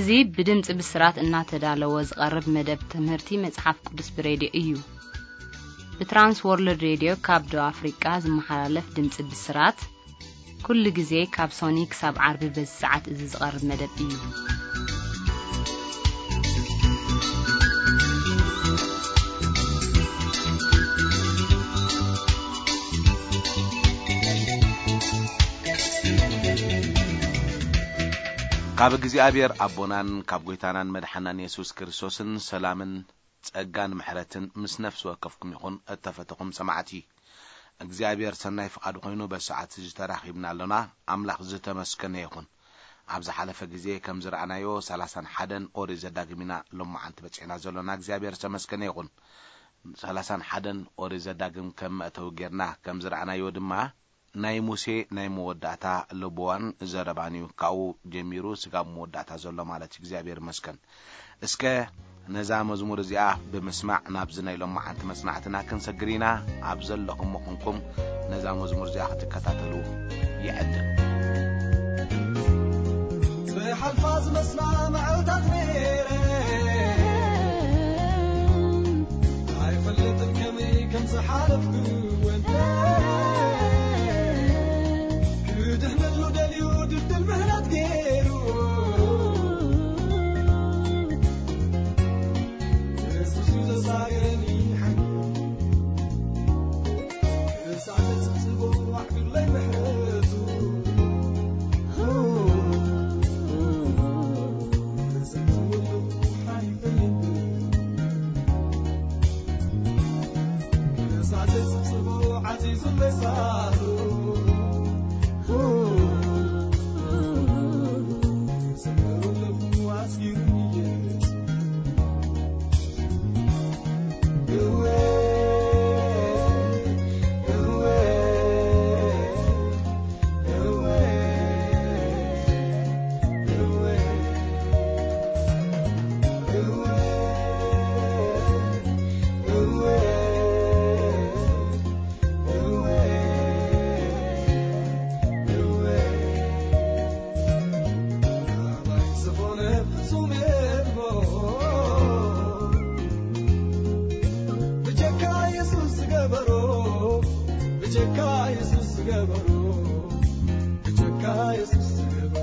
እዚ ብድምጺ ብስራት እናተዳለወ ዝቐርብ መደብ ትምህርቲ መጽሓፍ ቅዱስ ብሬድዮ እዩ። ብትራንስ ወርልድ ሬድዮ ካብ ደቡብ ኣፍሪቃ ዝመሓላለፍ ድምጺ ብስራት፣ ኩሉ ግዜ ካብ ሶኒ ክሳብ ዓርቢ በዚ ሰዓት እዚ ዝቐርብ መደብ እዩ። ካብ እግዚኣብሔር ኣቦናን ካብ ጐይታናን መድሓናን የሱስ ክርስቶስን ሰላምን ጸጋን ምሕረትን ምስ ነፍሲ ወከፍኩም ይኹን። እተፈተኹም ሰማዕቲ፣ እግዚኣብሔር ሰናይ ፍቓዱ ኮይኑ በዚ ሰዓት እዚ ተራኺብና ኣሎና። ኣምላኽ ዝተመስገነ ይኹን። ኣብ ዝሓለፈ ግዜ ከም ዝረኣናዮ ሰላሳን ሓደን ኦሪት ዘዳግም ኢና ሎማዓንቲ በጺሕና ዘሎና። እግዚኣብሔር ዝተመስገነ ይኹን። ሰላሳን ሓደን ኦሪት ዘዳግም ከም መእተዊ ጌርና ከም ዝረኣናዮ ድማ ናይ ሙሴ ናይ መወዳእታ ልብዋን ዘረባን እዩ። ካብኡ ጀሚሩ ስጋብ መወዳእታ ዘሎ ማለት እዩ። እግዚኣብሔር ይመስገን። እስከ ነዛ መዝሙር እዚኣ ብምስማዕ ናብዚ ናይ ሎማዓንቲ መጽናዕትና ክንሰግር ኢና። ኣብ ዘለኹም ምኹንኩም ነዛ መዝሙር እዚኣ ክትከታተሉ ይዕድም። ዝሓልፋ ዝመስላ መዓልታት ነይረ ኣይፈልጥን ከመይ ከም ዝሓለፍኩ ወደ ክድሕነሉ ደልዩ ድልድል ምህላት ገይሩ የሱስ እዩ ዘሳገረኒ ሓይሉ ክሳዕ ዘጽብጽቦ ኣዕዱለይ ምሕረቱ ዝኾነ ፍጹም የልቦ ብጀካ የሱስ ዝገበሮ ብጀካ የሱስ ዝገበሮ ብጀካ የሱስ ዝገበሮ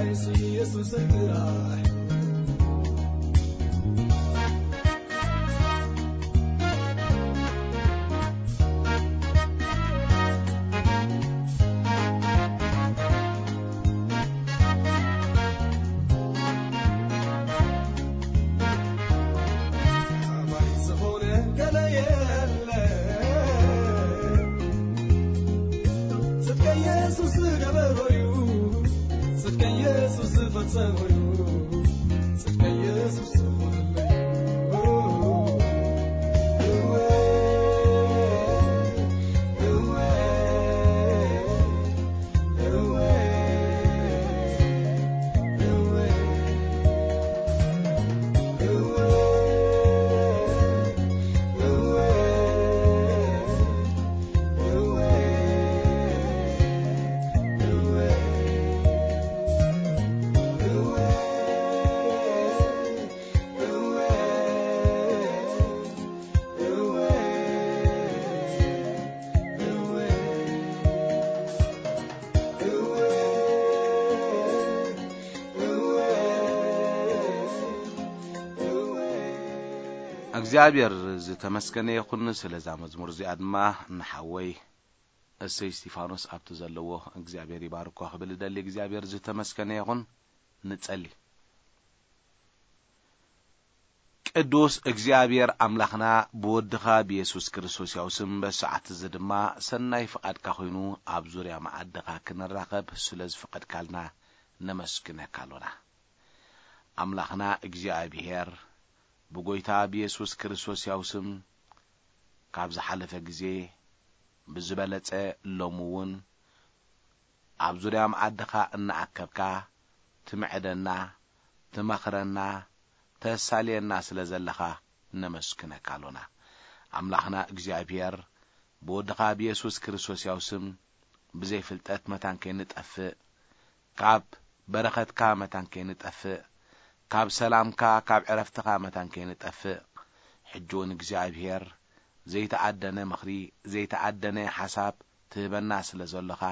ኢየሱስ ጥራሕ። ኣባይ ዝኾነ ገለ የለ። ጽድቀ ኢየሱስ ዝገበሮዩ፣ ጽድቀ ኢየሱስ ዝፈጸሞዩ፣ ጽድቀ ኢየሱስ ዝኾነለዩ። እወ፣ እወ፣ እወ፣ እወ፣ እወ፣ እወ፣ እወ፣ እወ፣ እወ፣ እወ፣ እወ፣ እወ፣ እወ፣ እወ። እግዚኣብሔር ዝተመስገነ ይኹን። ስለዛ መዝሙር እዚኣ ድማ ንሓወይ እሰይ እስቲፋኖስ ኣብቲ ዘለዎ እግዚኣብሔር ይባርኮ ክብል እደሊ። እግዚኣብሔር ዝተመስገነ ይኹን። ንጸሊ። ቅዱስ እግዚኣብሔር ኣምላኽና፣ ብወድኻ ብየሱስ ክርስቶስ ያው ስም በዚ ሰዓት እዚ ድማ ሰናይ ፍቓድካ ኮይኑ ኣብ ዙርያ መኣድኻ ክንራኸብ ስለ ዝፈቐድካልና ነመስግነካ ኣሎና። ኣምላኽና እግዚኣብሔር፣ ብጎይታ ብየሱስ ክርስቶስ ያው ስም ካብ ዝሓለፈ ግዜ ብዝበለጸ ሎሚ እውን ኣብ ዙርያ መኣድኻ እናኣከብካ ትምዕደና፣ ትመኽረና፣ ተሳልየና ስለ ዘለኻ ነመስግነካ ኣሎና። ኣምላኽና እግዚኣብሔር፣ ብወድኻ ብየሱስ ክርስቶስ ያው ስም ብዘይ ፍልጠት መታን ከይንጠፍእ፣ ካብ በረኸትካ መታን ከይንጠፍእ፣ ካብ ሰላምካ፣ ካብ ዕረፍትኻ መታን ከይንጠፍእ፣ ሕጂ እውን እግዚኣብሔር ዘይተኣደነ ምኽሪ፣ ዘይተኣደነ ሓሳብ ትህበና ስለ ዘሎኻ፣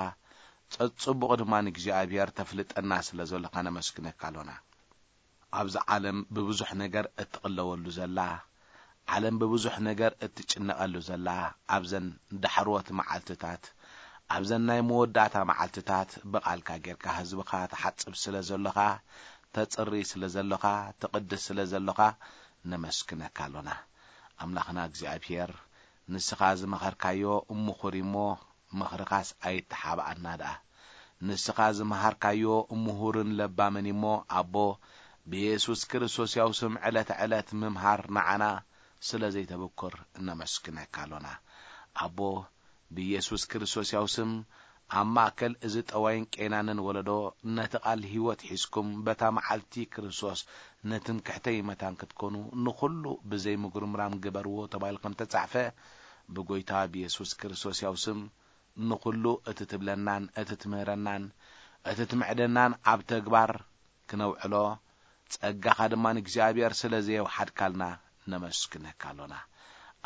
ጸጽቡቕ ድማ ንእግዚኣብሔር ተፍልጠና ስለ ዘሎኻ ነመስግነካ ኣሎና። ኣብዚ ዓለም ብብዙሕ ነገር እትቕለወሉ ዘላ፣ ዓለም ብብዙሕ ነገር እትጭነቐሉ ዘላ፣ ኣብዘን ዳሕሮት መዓልትታት፣ ኣብዘን ናይ መወዳእታ መዓልትታት ብቓልካ ጌርካ ህዝብኻ ትሓጽብ ስለ ዘሎኻ፣ ተጽሪ ስለ ዘሎኻ፣ ትቕድስ ስለ ዘሎኻ ነመስግነካ ኣሎና። ኣምላኽና እግዚኣብሔር፣ ንስኻ ዝመኸርካዮ ምኹር እሞ፣ ምኽርኻስ ኣይተሓብኣና ደኣ። ንስኻ ዝመሃርካዮ ምሁርን ለባምን እሞ፣ ኣቦ፣ ብየሱስ ክርስቶስ ያው ስም ዕለተ ዕለት ምምሃር ንዓና ስለ ዘይተበኩር እነመስግነካ ኣሎና። ኣቦ፣ ብየሱስ ክርስቶስ ያው ስም ኣብ ማእከል እዚ ጠዋይን ቄናንን ወለዶ ነቲ ቃል ህይወት ሒዝኩም በታ መዓልቲ ክርስቶስ ንትምክሕተይ መታን ክትኮኑ ንኹሉ ብዘይ ምጉርምራም ግበርዎ ተባሂሉ ከም ተጻሕፈ ብጎይታ ብየሱስ ክርስቶስ ያው ስም ንኹሉ እቲ ትብለናን እቲ ትምህረናን እቲ ትምዕደናን ኣብ ተግባር ክነውዕሎ ጸጋኻ ድማ ንእግዚኣብሔር ስለ ዘየውሓድካልና ነመስግነካ ኣሎና።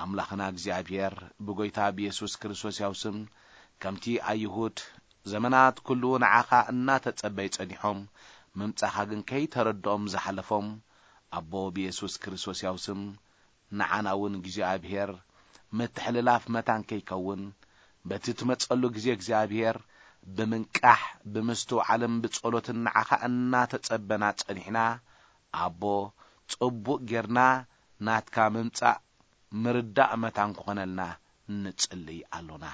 ኣምላኽና እግዚኣብሔር ብጎይታ ብየሱስ ክርስቶስ ያው ስም ከምቲ ኣይሁድ ዘመናት ኩሉ ንዓኻ እናተጸበይ ጸኒሖም ምምጻኻ ግን ከይተረድኦም ዝሓለፎም ኣቦ ብየሱስ ክርስቶስ ያው ስም ንዓና እውን እግዚኣብሔር ምትሕልላፍ መታን ከይከውን በቲ ትመጸሉ ግዜ እግዚኣብሔር ብምንቃሕ ብምስትውዓልን ብጸሎትን ንዓኻ እናተጸበና ጸኒሕና ኣቦ ጽቡቕ ጌርና ናትካ ምምጻእ ምርዳእ መታን ክኾነልና ንጽልይ ኣሎና።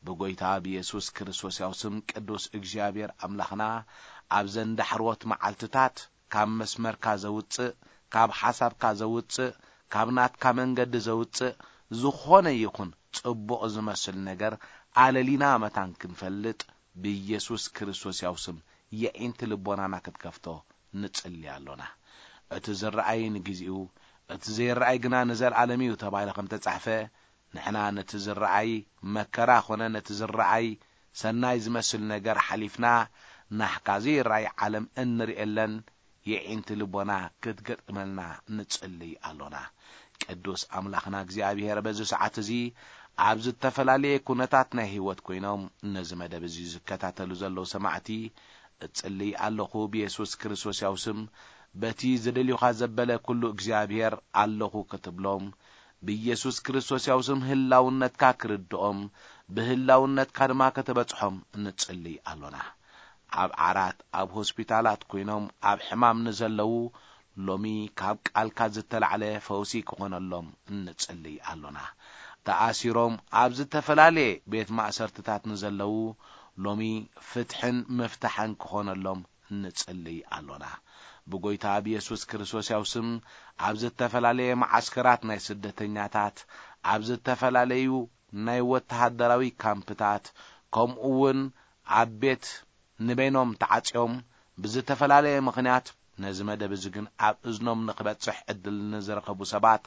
ብጎይታ ብየሱስ ክርስቶስ ያው ስም ቅዱስ እግዚኣብሔር ኣምላኽና ኣብዘን ዳሕርዎት መዓልትታት ካብ መስመርካ ዘውጽእ፣ ካብ ሓሳብካ ዘውጽእ፣ ካብ ናትካ መንገዲ ዘውጽእ ዝኾነ ይኹን ጽቡቕ ዝመስል ነገር ኣለሊና መታን ክንፈልጥ ብኢየሱስ ክርስቶስ ያው ስም የዒንቲ ልቦናና ክትከፍቶ ንጽሊ ኣሎና። እቲ ዝረኣይ ንግዜኡ፣ እቲ ዘይረኣይ ግና ንዘለኣለም እዩ ተባሂሉ ከም ተጻሕፈ፣ ንሕና ነቲ ዝረኣይ መከራ ኾነ ነቲ ዝረኣይ ሰናይ ዝመስል ነገር ሓሊፍና ናሕካ ዘይረኣይ ዓለም እንርእየለን የዒንቲ ልቦና ክትገጥመልና ንጽልይ ኣሎና። ቅዱስ ኣምላኽና እግዚኣብሔር በዚ ሰዓት እዚ ኣብ ዝተፈላለየ ኩነታት ናይ ህይወት ኮይኖም ነዚ መደብ እዚ ዝከታተሉ ዘለዉ ሰማዕቲ እጽልይ ኣለኹ ብየሱስ ክርስቶስ ያው ስም፣ በቲ ዝደልዩኻ ዘበለ ኩሉ እግዚኣብሔር ኣለኹ ክትብሎም፣ ብየሱስ ክርስቶስ ያው ስም ህላውነትካ ክርድኦም፣ ብህላውነትካ ድማ ከተበጽሖም እንጽልይ ኣሎና። ኣብ ዓራት፣ ኣብ ሆስፒታላት ኮይኖም ኣብ ሕማም ንዘለዉ፣ ሎሚ ካብ ቃልካ ዝተላዕለ ፈውሲ ክኾነሎም እንጽልይ ኣሎና። ተኣሲሮም ኣብ ዝተፈላለየ ቤት ማእሰርትታት ንዘለዉ፣ ሎሚ ፍትሕን ምፍታሕን ክኾነሎም እንጽልይ ኣሎና። ብጎይታ ብየሱስ ክርስቶስ ያው ስም፣ ኣብ ዝተፈላለየ መዓስከራት ናይ ስደተኛታት፣ ኣብ ዝተፈላለዩ ናይ ወተሃደራዊ ካምፕታት፣ ከምኡ እውን ኣብ ቤት ንበይኖም ተዓጽዮም ብዝተፈላለየ ምኽንያት ነዚ መደብ እዚ ግን ኣብ እዝኖም ንኽበጽሕ ዕድል ንዝረኸቡ ሰባት፣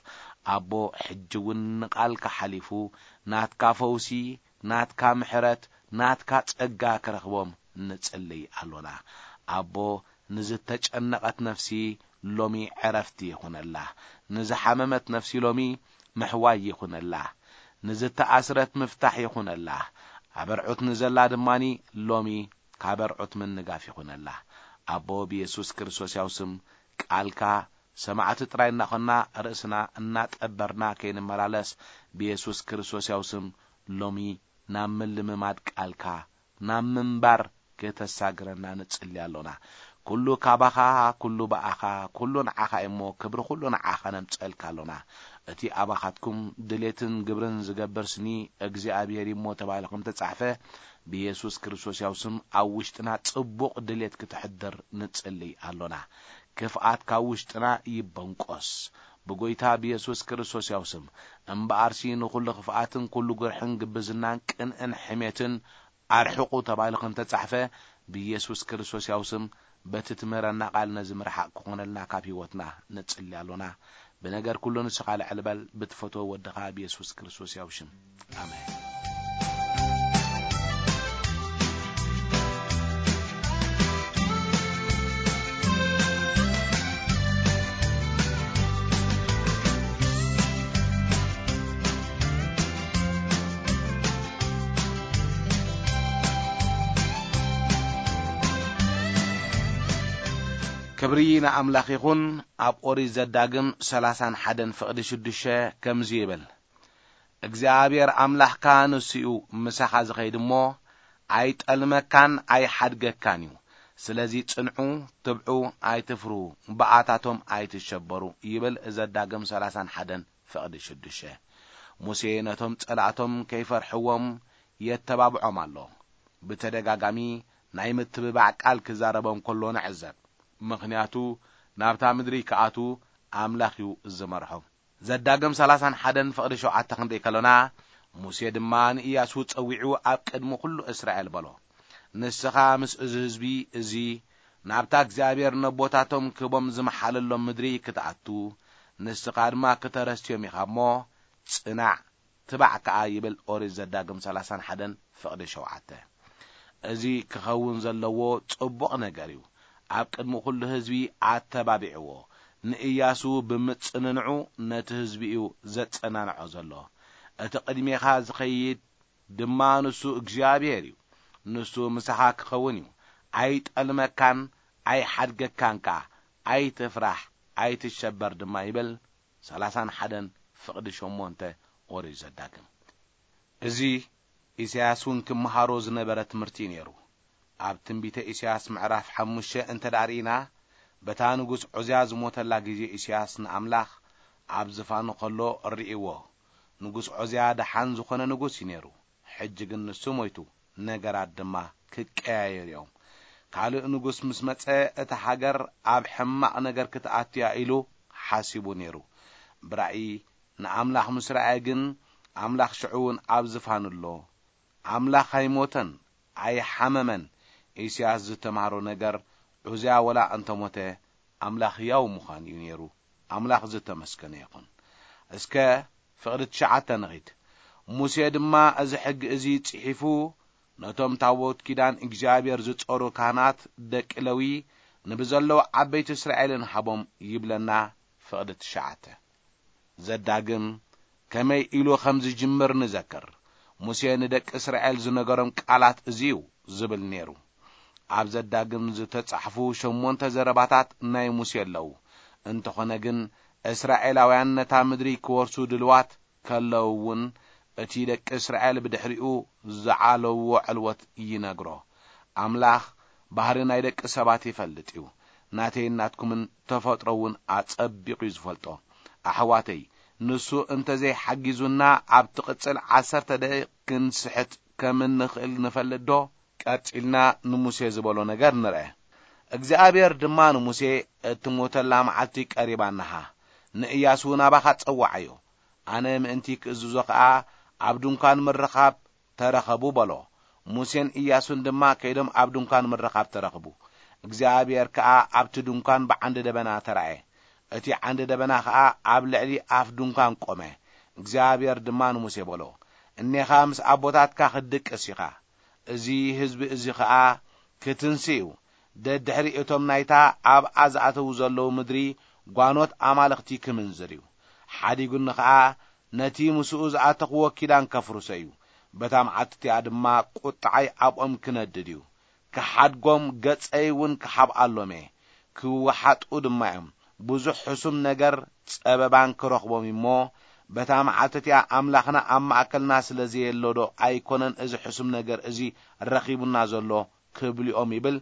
ኣቦ፣ ሕጂ እውን ንቓልካ ሓሊፉ ናትካ ፈውሲ፣ ናትካ ምሕረት፣ ናትካ ጸጋ ክረኽቦም ንጽልይ ኣሎና። ኣቦ፣ ንዝተጨነቐት ነፍሲ ሎሚ ዕረፍቲ ይኹነላ። ንዝሓመመት ነፍሲ ሎሚ ምሕዋይ ይኹነላ። ንዝተኣስረት ምፍታሕ ይኹነላ። ኣበርዑት ንዘላ ድማኒ ሎሚ ካበርዑት ምንጋፍ ይኹነላ። ኣቦ ብየሱስ ክርስቶስ ያው ስም ቃልካ ሰማዕቲ ጥራይ እናኾንና ርእስና እናጠበርና ከይንመላለስ ብየሱስ ክርስቶስ ያው ስም ሎሚ ናብ ምልምማድ ቃልካ ናብ ምንባር ከተሳግረና ንጽሊ ኣሎና። ኩሉ ካባኻ፣ ኩሉ ብኣኻ፣ ኩሉ ንዓኻ እሞ ክብሪ ኩሉ ንዓኻ ነምጸልካ ኣሎና። እቲ ኣባኻትኩም ድሌትን ግብርን ዝገብር ስኒ እግዚኣብሔር እሞ ተባሂሉ ከም ተጻሕፈ ብየሱስ ክርስቶስ ያው ስም ኣብ ውሽጥና ጽቡቕ ድሌት ክትሕድር ንጽሊ ኣሎና። ክፍኣት ካብ ውሽጥና ይበንቆስ ብጎይታ ብየሱስ ክርስቶስ ያው ስም። እምበኣርሲ ንኹሉ ክፍኣትን ኩሉ ጉርሕን ግብዝናን ቅንእን ሕሜትን ኣርሕቑ ተባሂሉ ከም ተጻሕፈ ብየሱስ ክርስቶስ ያው ስም በቲ ትምህረና ቃል ነዚ ምርሓቕ ክኾነልና ካብ ህይወትና ንጽሊ ኣሎና። ብነገር ኩሉ ንስኻ ልዕል በል ብትፈትዎ ወድኻ ብየሱስ ክርስቶስ ያው ሽም። ኣሜን። ክብሪ ንኣምላኽ ይኹን። ኣብ ኦሪት ዘዳግም ሰላሳን ሓደን ፍቕዲ ሽዱሽተ ከምዚ ይብል፣ እግዚኣብሔር ኣምላኽካ ንሱ እዩ ምሳኻ ዝኸይድ እሞ፣ ኣይጠልመካን ኣይሓድገካን እዩ። ስለዚ ጽንዑ፣ ትብዑ፣ ኣይትፍርሁ፣ ብኣታቶም ኣይትሸበሩ ይብል ዘዳግም ሰላሳን ሓደን ፍቕዲ ሽዱሽተ። ሙሴ ነቶም ጸላእቶም ከይፈርሕዎም የተባብዖም ኣሎ። ብተደጋጋሚ ናይ ምትብባዕ ቃል ክዛረቦም ከሎ ንዕዘብ። ምኽንያቱ ናብታ ምድሪ ክኣቱ ኣምላኽ እዩ ዝመርሖም። ዘዳግም ሰላሳን ሓደን ፍቕዲ ሸውዓተ ክንርኢ ከሎና፣ ሙሴ ድማ ንኢያሱ ጸዊዑ ኣብ ቅድሚ ኩሉ እስራኤል በሎ፣ ንስኻ ምስ እዚ ህዝቢ እዚ ናብታ እግዚኣብሔር ነቦታቶም ክህቦም ዝመሓለሎም ምድሪ ክትኣቱ፣ ንስኻ ድማ ክተረስትዮም ኢኻ እሞ፣ ጽናዕ፣ ትባዕ ከኣ ይብል ኦሪት ዘዳግም ሰላሳን ሓደን ፍቕዲ ሸውዓተ። እዚ ክኸውን ዘለዎ ጽቡቕ ነገር እዩ። ኣብ ቅድሚ ኩሉ ህዝቢ ኣተባቢዕዎ። ንእያሱ ብምጽንንዑ ነቲ ህዝቢ እዩ ዘጸናንዖ ዘሎ። እቲ ቅድሜኻ ዝኸይድ ድማ ንሱ እግዚኣብሔር እዩ። ንሱ ምሳኻ ክኸውን እዩ። ኣይጠልመካን ኣይሓድገካን ከኣ። ኣይትፍራሕ፣ ኣይትሸበር ድማ ይብል ሰላሳን ሓደን ፍቕዲ ሸሞንተ ኦሪት ዘዳግም። እዚ ኢሳያስ እውን ክመሃሮ ዝነበረ ትምህርቲ እዩ ነይሩ። ኣብ ትንቢተ ኢሳያስ ምዕራፍ ሓሙሽተ እንተ ደኣ ርኢና፣ በታ ንጉስ ዖዝያ ዝሞተላ ግዜ ኢሳያስ ንኣምላኽ ኣብ ዝፋኑ ከሎ ርእይዎ። ንጉስ ዖዝያ ደሓን ዝኾነ ንጉስ እዩ ነይሩ። ሕጂ ግን ንሱ ሞይቱ፣ ነገራት ድማ ክቀያየሩ እዮም። ካልእ ንጉስ ምስ መጸ፣ እታ ሃገር ኣብ ሕማቕ ነገር ክትኣቱ እያ ኢሉ ሓሲቡ ነይሩ። ብራእይ ንኣምላኽ ምስ ረኣየ ግን፣ ኣምላኽ ሽዑ እውን ኣብ ዝፋኑ ኣሎ። ኣምላኽ ኣይሞተን፣ ኣይሓመመን። ኢሳያስ ዝተማህሮ ነገር፣ ዑዝያ ወላ እንተሞተ፣ ኣምላኽ ህያው ምዃን እዩ ነይሩ። ኣምላኽ ዝተመስገነ ይኹን። እስከ ፍቕዲ ትሽዓተ ንኺድ። ሙሴ ድማ እዚ ሕጊ እዚ ጽሒፉ፣ ነቶም ታቦት ኪዳን እግዚኣብሔር ዝጾሩ ካህናት ደቂ ለዊ፣ ንብዘለዉ ዓበይቲ እስራኤልን ሃቦም ይብለና። ፍቕዲ ትሽዓተ። ዘዳግም ከመይ ኢሉ ከም ዝጅምር ንዘክር። ሙሴ ንደቂ እስራኤል ዝነገሮም ቃላት እዚ እዩ ዝብል ነይሩ። ኣብ ዘዳግም ዝተጻሕፉ ሸሞንተ ዘረባታት ናይ ሙሴ ኣለዉ። እንተኾነ ግን፣ እስራኤላውያን ነታ ምድሪ ክወርሱ ድልዋት ከለዉ እውን፣ እቲ ደቂ እስራኤል ብድሕሪኡ ዝዓለውዎ ዕልወት ይነግሮ። ኣምላኽ ባህሪ ናይ ደቂ ሰባት ይፈልጥ እዩ። ናተይን ናትኩምን ተፈጥሮ እውን ኣጸቢቑ እዩ ዝፈልጦ። ኣሕዋተይ፣ ንሱ እንተዘይሓጊዙና፣ ኣብ ትቕጽል ዓሰርተ ደቂቕ ክንስሕት ከም እንኽእል ንፈልጥ ዶ? ቀጺልና ንሙሴ ዝበሎ ነገር ንርአ። እግዚኣብሔር ድማ ንሙሴ፣ "እትሞተላ መዓልቲ ቀሪባ ኣናሃ። ንእያሱ ናባኻ ጸውዓዮ። ኣነ ምእንቲ ክእዝዞ ኸኣ ኣብ ድንኳን ምርኻብ ተረኸቡ" በሎ። ሙሴን እያሱን ድማ ከይዶም ኣብ ድንኳን ምርኻብ ተረኽቡ። እግዚኣብሔር ከኣ ኣብቲ ድንኳን ብዓንዲ ደበና ተራእየ። እቲ ዓንዲ ደበና ኸኣ ኣብ ልዕሊ ኣፍ ድንኳን ቆመ። እግዚኣብሔር ድማ ንሙሴ በሎ፣ "እኔኻ ምስ ኣቦታትካ ክትድቅስ ኢኻ። እዚ ህዝቢ እዚ ኸኣ ክትንሲ እዩ። ደድሕሪ እቶም ናይታ ኣብኣ ዝኣተዉ ዘለዉ ምድሪ ጓኖት ኣማልኽቲ ክምንዝር እዩ። ሓዲጉኒ ኸኣ ነቲ ምስኡ ዝኣተኽዎ ኪዳን ከፍርሶ እዩ። በታ መዓልቲ እቲኣ ድማ ቁጥዓይ ኣብኦም ክነድድ እዩ። ክሓድጎም፣ ገጸይ እውን ክሓብኣሎም እየ። ክወሓጡ ድማ እዮም። ብዙሕ ሕሱም ነገር ጸበባን ክረኽቦም እዩ እሞ፣ በታ መዓልቲ እቲኣ ኣምላኽና ኣብ ማእከልና ስለ ዘየሎ ዶ ኣይኮነን እዚ ሕሱም ነገር እዚ ረኺቡና ዘሎ?" ክብልኦም ይብል።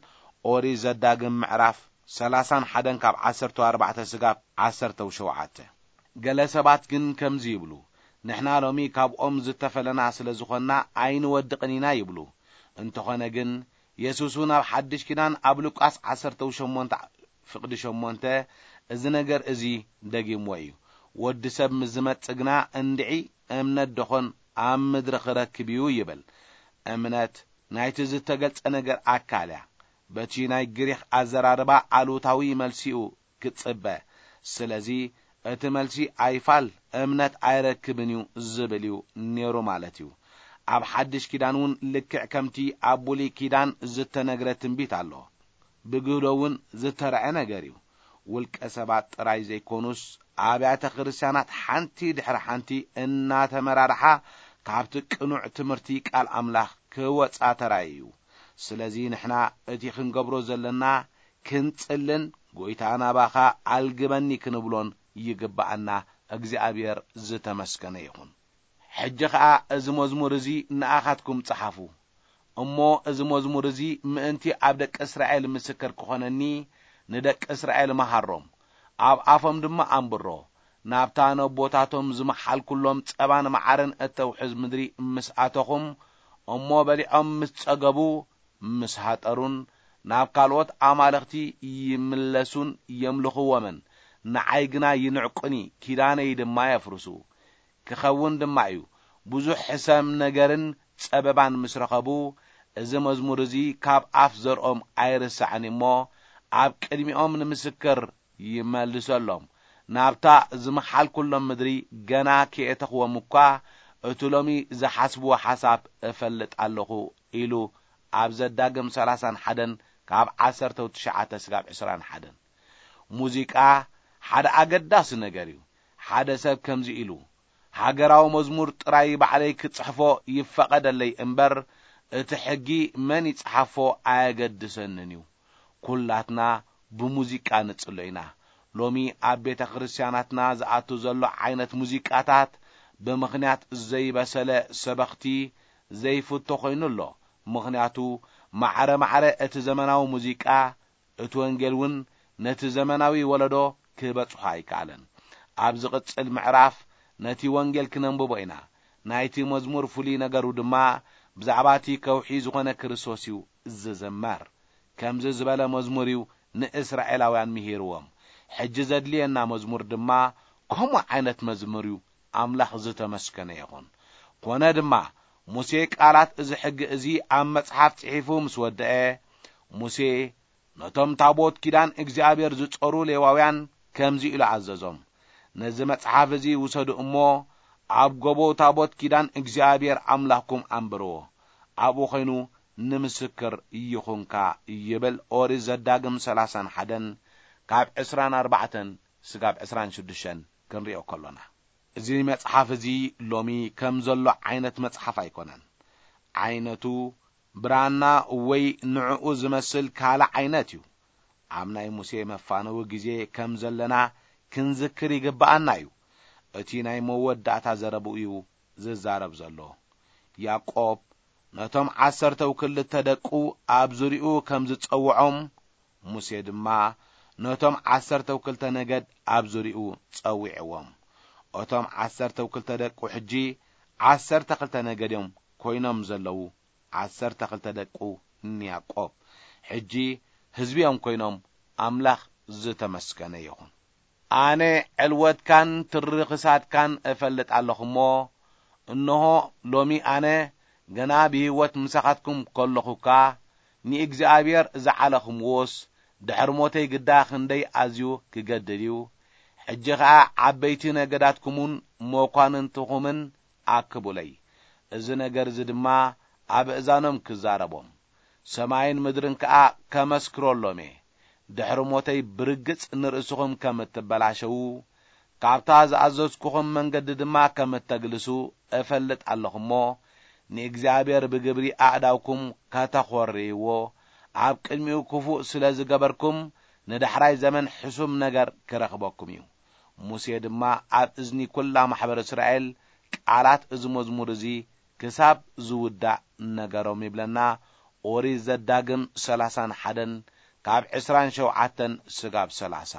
ኦሪት ዘዳግም ምዕራፍ ሰላሳን ሓደን ካብ ዓሰርተ ኣርባዕተ ስጋብ ዓሰርተ ሸውዓተ። ገለ ሰባት ግን ከምዚ ይብሉ፣ "ንሕና ሎሚ ካብኦም ዝተፈለና ስለ ዝኾንና ኣይንወድቕን ኢና" ይብሉ። እንተኾነ ግን፣ የሱስ እውን ኣብ ሓድሽ ኪዳን ኣብ ሉቃስ ዓሰርተ ሸሞንተ ፍቕዲ ሸሞንተ እዚ ነገር እዚ ደጊምዎ እዩ። "ወዲ ሰብ ምስ ዝመጽእ ግና እንድዒ እምነት ደኾን ኣብ ምድሪ ክረክብ እዩ?" ይብል። እምነት ናይቲ ዝተገልጸ ነገር ኣካል እያ። በቲ ናይ ግሪኽ ኣዘራርባ ኣሉታዊ መልሲኡ ክጽበ። ስለዚ እቲ መልሲ ኣይፋል እምነት ኣይረክብን እዩ ዝብል እዩ ነይሩ ማለት እዩ። ኣብ ሓድሽ ኪዳን እውን ልክዕ ከምቲ ኣብ ብሉይ ኪዳን ዝተነግረ ትንቢት ኣሎ። ብግህዶ እውን ዝተረዐ ነገር እዩ። ውልቀ ሰባት ጥራይ ዘይኮኑስ ኣብያተ ክርስቲያናት ሓንቲ ድሕሪ ሓንቲ እናተመራርሓ ካብቲ ቅኑዕ ትምህርቲ ቃል ኣምላኽ ክወጻ ተራእዩ እዩ። ስለዚ ንሕና እቲ ክንገብሮ ዘለና ክንጽልን ጎይታ ናባኻ ኣልግበኒ ክንብሎን ይግብኣና። እግዚኣብሔር ዝተመስገነ ይኹን። ሕጂ ኸኣ እዚ መዝሙር እዚ ንኣኻትኩም ጸሓፉ። እሞ እዚ መዝሙር እዚ ምእንቲ ኣብ ደቂ እስራኤል ምስክር ክኾነኒ ንደቂ እስራኤል መሃሮም፣ ኣብ ኣፎም ድማ ኣንብሮ። ናብታ ነቦታቶም ዝመሓልኩሎም ጸባን መዓርን እተውሕዝ ምድሪ ምስ ኣተኹም፣ እሞ በሊዖም ምስ ጸገቡ፣ ምስ ሃጠሩን ናብ ካልኦት ኣማልኽቲ ይምለሱን የምልኽዎምን፣ ንዓይ ግና ይንዕቁኒ፣ ኪዳነይ ድማ የፍርሱ። ክኸውን ድማ እዩ። ብዙሕ ሕሰም ነገርን ጸበባን ምስ ረኸቡ፣ እዚ መዝሙር እዚ ካብ ኣፍ ዘርኦም ኣይርሳዕን እሞ፣ ኣብ ቅድሚኦም ንምስክር ይመልሰሎም። ናብታ ዝመሓልኩሎም ምድሪ ገና ከየእተኽዎም እኳ፣ እቲ ሎሚ ዝሓስብዎ ሓሳብ እፈልጥ ኣለኹ ኢሉ ኣብ ዘዳግም ሰላሳን ሓደን ካብ ዓሰርተ ትሽዓተ ስጋብ ዕስራን ሓደን። ሙዚቃ ሓደ ኣገዳሲ ነገር እዩ። ሓደ ሰብ ከምዚ ኢሉ፣ "ሃገራዊ መዝሙር ጥራይ ባዕለይ ክጽሕፎ ይፈቐደለይ እምበር፣ እቲ ሕጊ መን ይጽሓፎ ኣየገድሰንን እዩ። ኩላትና ብሙዚቃ ንጽሎ ኢና።" ሎሚ ኣብ ቤተ ክርስቲያናትና ዝኣቱ ዘሎ ዓይነት ሙዚቃታት ብምኽንያት ዘይበሰለ ሰበኽቲ ዘይፍቶ ኮይኑ ኣሎ። ምኽንያቱ ማዕረ ማዕረ እቲ ዘመናዊ ሙዚቃ፣ እቲ ወንጌል እውን ነቲ ዘመናዊ ወለዶ ክበጽሖ ኣይከኣለን። ኣብ ዝቕጽል ምዕራፍ ነቲ ወንጌል ክነንብቦ ኢና። ናይቲ መዝሙር ፍሉይ ነገሩ ድማ ብዛዕባ እቲ ከውሒ ዝኾነ ክርስቶስ እዩ ዝዝመር። ከምዚ ዝበለ መዝሙር እዩ ንእስራኤላውያን ምሂርዎም። ሕጂ ዘድልየና መዝሙር ድማ ከምኡ ዓይነት መዝሙር እዩ። ኣምላኽ ዝተመስገነ ይኹን። ኮነ ድማ፣ ሙሴ ቃላት እዚ ሕጊ እዚ ኣብ መጽሓፍ ጽሒፉ ምስ ወደአ፣ ሙሴ ነቶም ታቦት ኪዳን እግዚኣብሔር ዝጾሩ ሌዋውያን ከምዚ ኢሉ ኣዘዞም፣ "ነዚ መጽሓፍ እዚ ውሰዱ እሞ፣ ኣብ ጎቦ ታቦት ኪዳን እግዚኣብሔር ኣምላኽኩም ኣንብርዎ። ኣብኡ ኾይኑ ንምስክር ይኹንካ" ይብል። ኦሪት ዘዳግም ሰላሳን ሓደን ካብ ዕስራን ኣርባዕተን ስጋብ ዕስራን ሽዱሽተን ክንሪኦ ከሎና፣ እዚ መጽሓፍ እዚ ሎሚ ከም ዘሎ ዓይነት መጽሓፍ ኣይኮነን። ዓይነቱ፣ ብራና ወይ ንዕኡ ዝመስል ካልእ ዓይነት እዩ። ኣብ ናይ ሙሴ መፋነዊ ግዜ ከም ዘለና ክንዝክር ይግብኣና እዩ። እቲ ናይ መወዳእታ ዘረብኡ እዩ ዝዛረብ ዘሎ። ያዕቆብ ነቶም ዓሰርተው ክልተ ደቁ ኣብ ዙሪኡ ከም ዝጸውዖም፣ ሙሴ ድማ ነቶም ዓሰርተው ክልተ ነገድ ኣብ ዙሪኡ ጸዊዕዎም። እቶም ዓሰርተው ክልተ ደቁ ሕጂ ዓሰርተ ክልተ ነገድ እዮም ኮይኖም ዘለዉ። ዓሰርተ ክልተ ደቁ ንያዕቆብ ሕጂ ህዝቢ እዮም ኮይኖም። ኣምላኽ ዝተመስገነ ይኹን። ኣነ ዕልወትካን ትሪ ክሳድካን እፈልጥ ኣለኹ እሞ፣ እንሆ፣ ሎሚ ኣነ ገና ብህይወት ምሳኻትኩም ከለኹ እኳ፣ ንእግዚኣብሔር ዝዓለኹምዎስ፣ ድሕሪ ሞተይ ግዳ ክንደይ ኣዝዩ ክገድድ እዩ። ሕጂ ኸኣ ዓበይቲ ነገዳትኩምን መኳንንትኹምን ኣክቡለይ። እዚ ነገር እዚ ድማ ኣብ እዛኖም ክዛረቦም፣ ሰማይን ምድርን ከኣ ከመስክረሎም እየ። ድሕሪ ሞተይ ብርግጽ ንርእስኹም ከም እትበላሸዉ፣ ካብታ ዝኣዘዝኩኹም መንገዲ ድማ ከም እተግልሱ እፈልጥ ኣለኹ እሞ፣ ንእግዚኣብሔር ብግብሪ ኣእዳውኩም ከተኾርይዎ፣ ኣብ ቅድሚኡ ክፉእ ስለ ዝገበርኩም፣ ንዳሕራይ ዘመን ሕሱም ነገር ክረኽበኩም እዩ። ሙሴ ድማ ኣብ እዝኒ ኵላ ማሕበር እስራኤል ቃላት እዚ መዝሙር እዚ ክሳብ ዝውዳእ ነገሮም ይብለና። ኦሪት ዘዳግም ሠላሳን ሓደን ካብ ዕስራን ሸውዓተን ስጋብ ሠላሳ።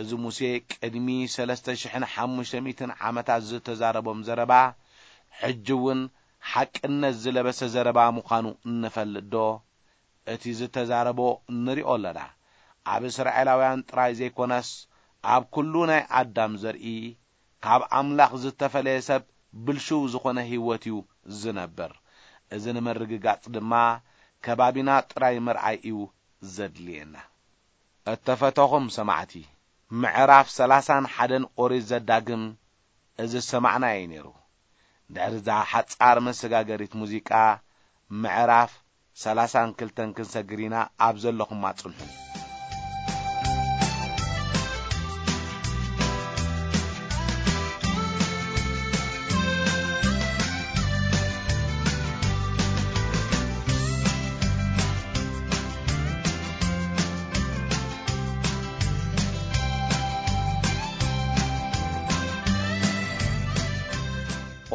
እዚ ሙሴ ቅድሚ ሠለስተ ሽሕን ሓሙሽተ ሚእትን ዓመታት ዝተዛረቦም ዘረባ፣ ሕጂ እውን ሓቅነት ዝለበሰ ዘረባ ምዃኑ እንፈልጥ ዶ? እቲ ዝተዛረቦ ንሪኦ ኣለና። ኣብ እስራኤላውያን ጥራይ ዘይኮነስ፣ ኣብ ኩሉ ናይ ኣዳም ዘርኢ፣ ካብ ኣምላኽ ዝተፈለየ ሰብ ብልሽው ዝኾነ ህይወት እዩ ዝነብር። እዚ ንምርግጋጽ ድማ ከባቢና ጥራይ ምርኣይ እዩ ዘድልየና። እተፈተኹም ሰማዕቲ፣ ምዕራፍ ሠላሳን ሓደን ኦሪት ዘዳግም እዚ ዝሰማዕናዮ እዩ ነይሩ። ድሕሪ እዛ ሓጻር መሰጋገሪት ሙዚቃ፣ ምዕራፍ ሠላሳን ክልተን ክንሰግር ኢና። ኣብ ዘለኹማ ጽንሑ።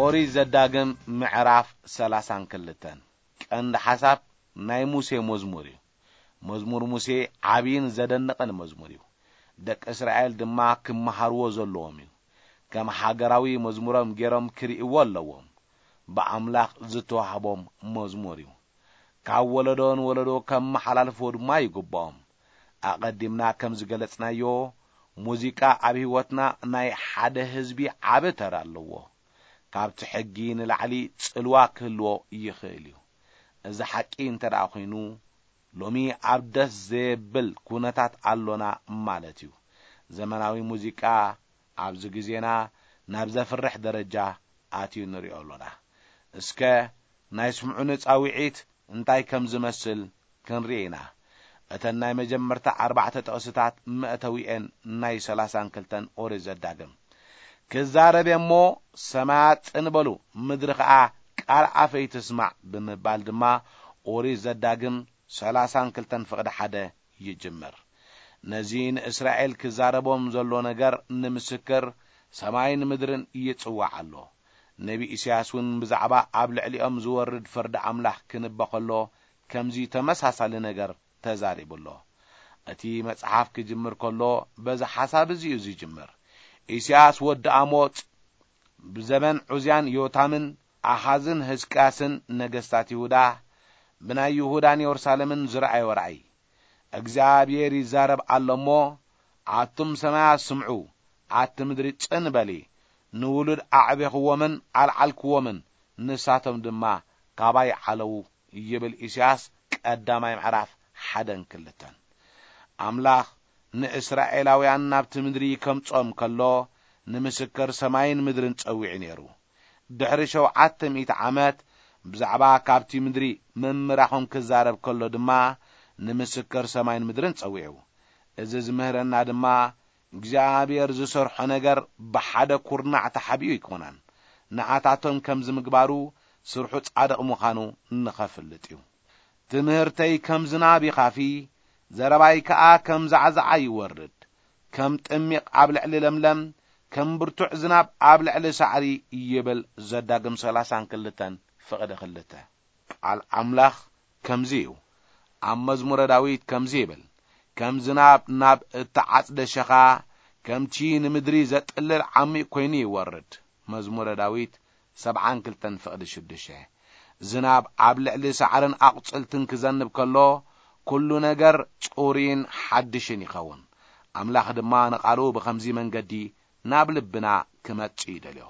ኦሪት ዘዳግም ምዕራፍ ሠላሳን ክልተን። ቀንዲ ሓሳብ ናይ ሙሴ መዝሙር እዩ። መዝሙር ሙሴ ዓብይን ዘደንቕን መዝሙር እዩ። ደቂ እስራኤል ድማ ክመሃርዎ ዘለዎም እዩ። ከም ሃገራዊ መዝሙሮም ገይሮም ክርእይዎ ኣለዎም። ብኣምላኽ ዝተዋህቦም መዝሙር እዩ። ካብ ወለዶ ንወለዶ ከመሓላልፍዎ ድማ ይግብኦም። ኣቐዲምና ከም ዝገለጽናዮ፣ ሙዚቃ ኣብ ህይወትና ናይ ሓደ ህዝቢ ዓቢ ተራ ኣለዎ። ካብቲ ሕጊ ንላዕሊ ጽልዋ ክህልዎ ይኽእል እዩ። እዚ ሓቂ እንተ ደኣ ኾይኑ፣ ሎሚ ኣብ ደስ ዘየብል ኩነታት ኣሎና ማለት እዩ። ዘመናዊ ሙዚቃ ኣብዚ ግዜና ናብ ዘፍርሕ ደረጃ ኣትዩ ንሪኦ ኣሎና። እስከ ናይ ስምዑኒ ጻውዒት እንታይ ከም ዝመስል ክንርኢ ኢና። እተን ናይ መጀመርታ ኣርባዕተ ጥቕስታት መእተዊኤን ናይ ሠላሳን ክልተን ኦሪት ዘዳግም። ክዛረብ እየ እሞ፣ ሰማያት ጽን በሉ፣ ምድሪ ኸኣ ቃል ኣፈይ ትስማዕ ብምባል ድማ ኦሪት ዘዳግም ሠላሳን ክልተን ፍቕዲ ሓደ ይጅምር። ነዚ ንእስራኤል ክዛረቦም ዘሎ ነገር ንምስክር ሰማይን ምድርን ይጽዋዕ ኣሎ። ነቢ ኢሳያስ እውን ብዛዕባ ኣብ ልዕሊኦም ዝወርድ ፍርዲ ኣምላኽ ክንበ ከሎ ከምዚ ተመሳሳሊ ነገር ተዛሪቡ ኣሎ። እቲ መጽሓፍ ክጅምር ከሎ በዚ ሓሳብ እዚ እዩ ዝጅምር። ኢሳያስ ወዲ ኣሞጽ ብዘበን ዑዝያን ዮታምን ኣኻዝን ህዝቅያስን ነገስታት ይሁዳ ብናይ ይሁዳን የሩሳሌምን ዝረኣዮ ራእይ፣ እግዚኣብሔር ይዛረብ ኣሎ እሞ፣ ኣቱም ሰማያት ስምዑ፣ ኣቲ ምድሪ ጽን በሊ፣ ንውሉድ ኣዕቤኽዎምን ኣልዓልክዎምን፣ ንሳቶም ድማ ካባይ ዓለዉ ይብል ኢሳያስ ቀዳማይ ምዕራፍ ሓደን ክልተን። ኣምላኽ ንእስራኤላውያን ናብቲ ምድሪ ከምጾም ከሎ፣ ንምስክር ሰማይን ምድርን ጸዊዑ ነይሩ። ድሕሪ ሸውዓተ ሚእቲ ዓመት ብዛዕባ ካብቲ ምድሪ ምምራኾም ክዛረብ ከሎ ድማ፣ ንምስክር ሰማይን ምድርን ጸዊዑ። እዚ ዝምህረና ድማ፣ እግዚኣብሔር ዝሰርሖ ነገር ብሓደ ኩርናዕ ተሓቢኡ ኣይኮነን። ንኣታቶም ከምዚ ምግባሩ፣ ስርሑ ጻድቕ ምዃኑ ንኸፍልጥ እዩ። ትምህርተይ ከም ዝናብ ይኻፊ፣ ዘረባይ ከኣ ከም ዛዕዛዓ ይወርድ። ከም ጥሚቕ ኣብ ልዕሊ ለምለም፣ ከም ብርቱዕ ዝናብ ኣብ ልዕሊ ሳዕሪ ይብል። ዘዳግም ሰላሳን ክልተን ፍቕዲ ክልተ። ቃል ኣምላኽ ከምዚ እዩ። ኣብ መዝሙረ ዳዊት ከምዚ ይብል፣ ከም ዝናብ ናብ እተዓጽደ ሸኻ፣ ከምቲ ንምድሪ ዘጥልል ዓሚቕ ኮይኑ ይወርድ። መዝሙረ ዳዊት ሰብዓን ክልተን ፍቕዲ ሽዱሽተ። ዝናብ ኣብ ልዕሊ ሳዕርን ኣቑጽልትን ክዘንብ ከሎ፣ ኩሉ ነገር ጽሩይን ሓድሽን ይኸውን። ኣምላኽ ድማ ንቓሉ ብኸምዚ መንገዲ ናብ ልብና ክመጽእ ይደልዮ።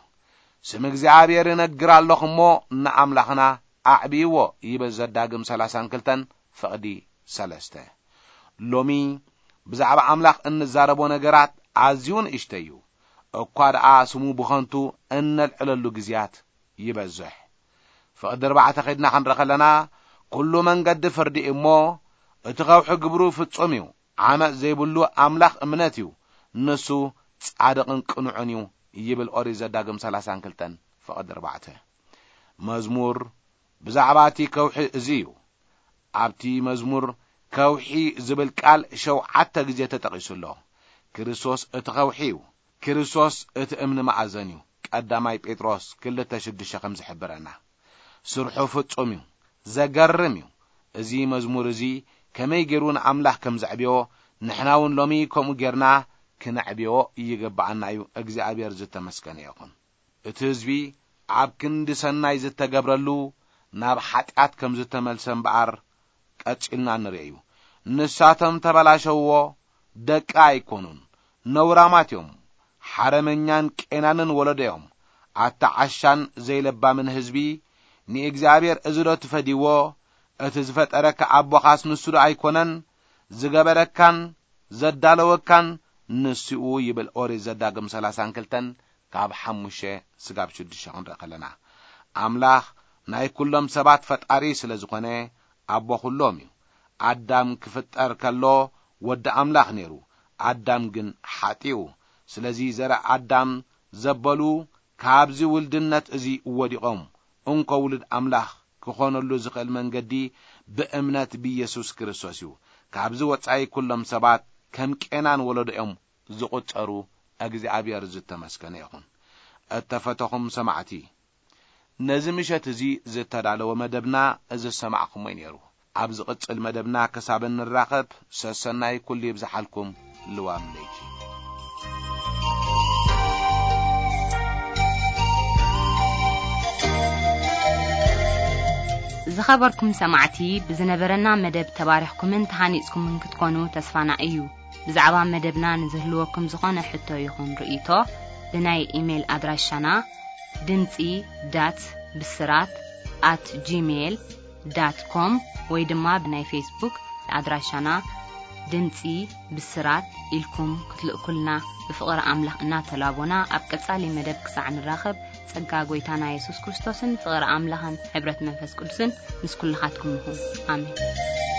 ስም እግዚኣብሔር እነግር ኣለኹ እሞ ንኣምላኽና ኣዕብይዎ ይብል ዘዳግም ሰላሳን ክልተን ፍቕዲ ሰለስተ። ሎሚ ብዛዕባ ኣምላኽ እንዛረቦ ነገራት ኣዝዩ ንእሽተይ እዩ። እኳ ደኣ ስሙ ብኸንቱ እነልዕለሉ ግዜያት ይበዝሕ። ፍቕዲ ኣርባዕተ ኸይድና ክንርኢ ከለና፣ ኩሉ መንገዲ ፍርዲ እዩ እሞ፣ እቲ ኸውሒ ግብሩ ፍጹም እዩ። ዓመጽ ዘይብሉ ኣምላኽ እምነት እዩ፣ ንሱ ጻድቕን ቅኑዕን እዩ ይብል ኦሪት ዘዳግም ሰላሳን ክልተን ፍቕዲ ኣርባዕተ። መዝሙር ብዛዕባ እቲ ከውሒ እዚ እዩ። ኣብቲ መዝሙር ከውሒ ዝብል ቃል ሸውዓተ ግዜ ተጠቒሱ ኣሎ። ክርስቶስ እቲ ከውሒ እዩ። ክርስቶስ እቲ እምኒ መኣዘን እዩ። ቀዳማይ ጴጥሮስ ክልተ ሽዱሽተ ከም ዝሕብረና፣ ስርሑ ፍጹም እዩ፣ ዘገርም እዩ። እዚ መዝሙር እዚ ከመይ ገይሩ ንኣምላኽ ከም ዘዕብዮ፣ ንሕና እውን ሎሚ ከምኡ ጌርና ክነዕብዮ ይግብኣና እዩ። እግዚኣብሔር ዝተመስገነ ይኹን። እቲ ህዝቢ ኣብ ክንዲ ሰናይ ዝተገብረሉ፣ ናብ ሓጢኣት ከም ዝተመልሰ እምበኣር፣ ቀጺልና ንርእዮ እዩ። ንሳቶም ተበላሸውዎ፣ ደቂ ኣይኮኑን፣ ነውራማት እዮም። ሓረመኛን ቄናንን ወለዶ እዮም። ኣታ ዓሻን ዘይለባምን ህዝቢ፣ ንእግዚኣብሔር እዚ ዶ ትፈድይዎ? እቲ ዝፈጠረካ ኣቦኻስ ንሱ ዶ ኣይኮነን? ዝገበረካን ዘዳለወካን ንሱኡ ይብል ኦሪት ዘዳግም ሰላሳን ክልተን ካብ ሓሙሽተ ስጋብ ሽዱሽተ ክንርኢ ከለና፣ ኣምላኽ ናይ ኩሎም ሰባት ፈጣሪ ስለ ዝኾነ ኣቦ ኩሎም እዩ። ኣዳም ክፍጠር ከሎ ወዲ ኣምላኽ ነይሩ፣ ኣዳም ግን ሓጢኡ። ስለዚ ዘረ ኣዳም ዘበሉ ካብዚ ውልድነት እዚ ወዲቖም፣ እንኮ ውሉድ ኣምላኽ ክኾነሉ ዝኽእል መንገዲ ብእምነት ብኢየሱስ ክርስቶስ እዩ። ካብዚ ወጻኢ ኩሎም ሰባት ከም ቄናን ወለዶኦም ዝቑጸሩ እግዚኣብሔር ዝተመስገነ ይኹን። እተፈተኹም ሰማዕቲ፣ ነዚ ምሸት እዚ ዝተዳለወ መደብና እዚ ዝሰማዕኹሞ እዩ ነይሩ። ኣብ ዝቕጽል መደብና ክሳብ እንራኸብ፣ ሰሰናይ ኩሉ ይብዝሓልኩም። ልዋም ለይቲ። ዝኸበርኩም ሰማዕቲ፣ ብዝነበረና መደብ ተባሪኽኩምን ተሃኒጽኩምን ክትኮኑ ተስፋና እዩ። ብዛዕባ መደብና ንዝህልወኩም ዝኾነ ሕቶ ይኹን ርእይቶ፣ ብናይ ኢሜይል ኣድራሻና ድምጺ ዳት ብስራት ኣት ጂሜይል ዳት ኮም ወይ ድማ ብናይ ፌስቡክ ኣድራሻና ድምጺ ብስራት ኢልኩም ክትልእኩልና ብፍቕሪ ኣምላኽ እናተላቦና፣ ኣብ ቀጻሊ መደብ ክሳዕ ንራኸብ፣ ጸጋ ጐይታና የሱስ ክርስቶስን ፍቕሪ ኣምላኽን ሕብረት መንፈስ ቅዱስን ምስ ኩልኻትኩም ይኹን። ኣሜን።